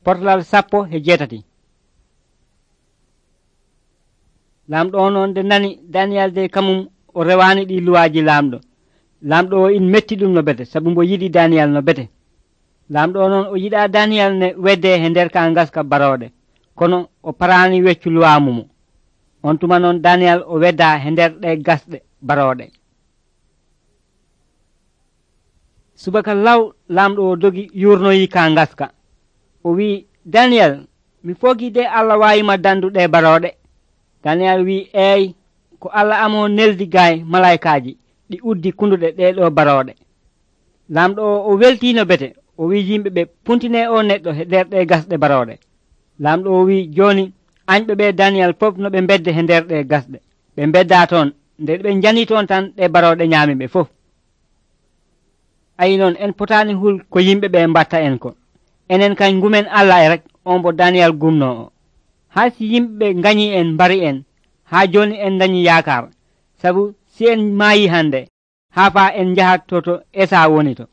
portalal 17. lamɗo o noon nde nani daniyal de kamum o rewani ɗi luwaji lamɗo o in metti ɗum no bete sabu mbo yiɗi daniyal no bete. lamɗo o noon o yiɗa daniyal ne wedde he nder ka gaska baroɗe kono o parani weccu luwamumo. on tuma noon daniyal o wedda he nder ɗe gasɗe baroɗe. subaka law lamɗo o dogi yurnoyi ka gaska o wi daniyal mi fogi de Allah wayima danduɗe baroɗe. daniyal wi eyi ko Allah amo neldi gay malaikaji ɗi uddi kunduɗe ɗeɗo baroɗe. lamɗo o weltino bete o wi yimɓeɓe puntine o neɗɗo he nder ɗe gasɗe baroɗe. lamɗo o wi joni añɓe ɓe daniyal fof no ɓe bedde he nder ɗe gasɗe ɓe bedda toon nde ɓe jani toon tan ɗe baroɗe ñaami ɓe fof. ayi noon en potani hul ko yimɓeɓe mbatta en ko enen kan gumen Allah e rek on bo daniyal gumno o. ha si yimɓeɓe gañi en mbari en ha joni en dañi yakar sabu si en maayi hande ha fa en jahat to Esa woni to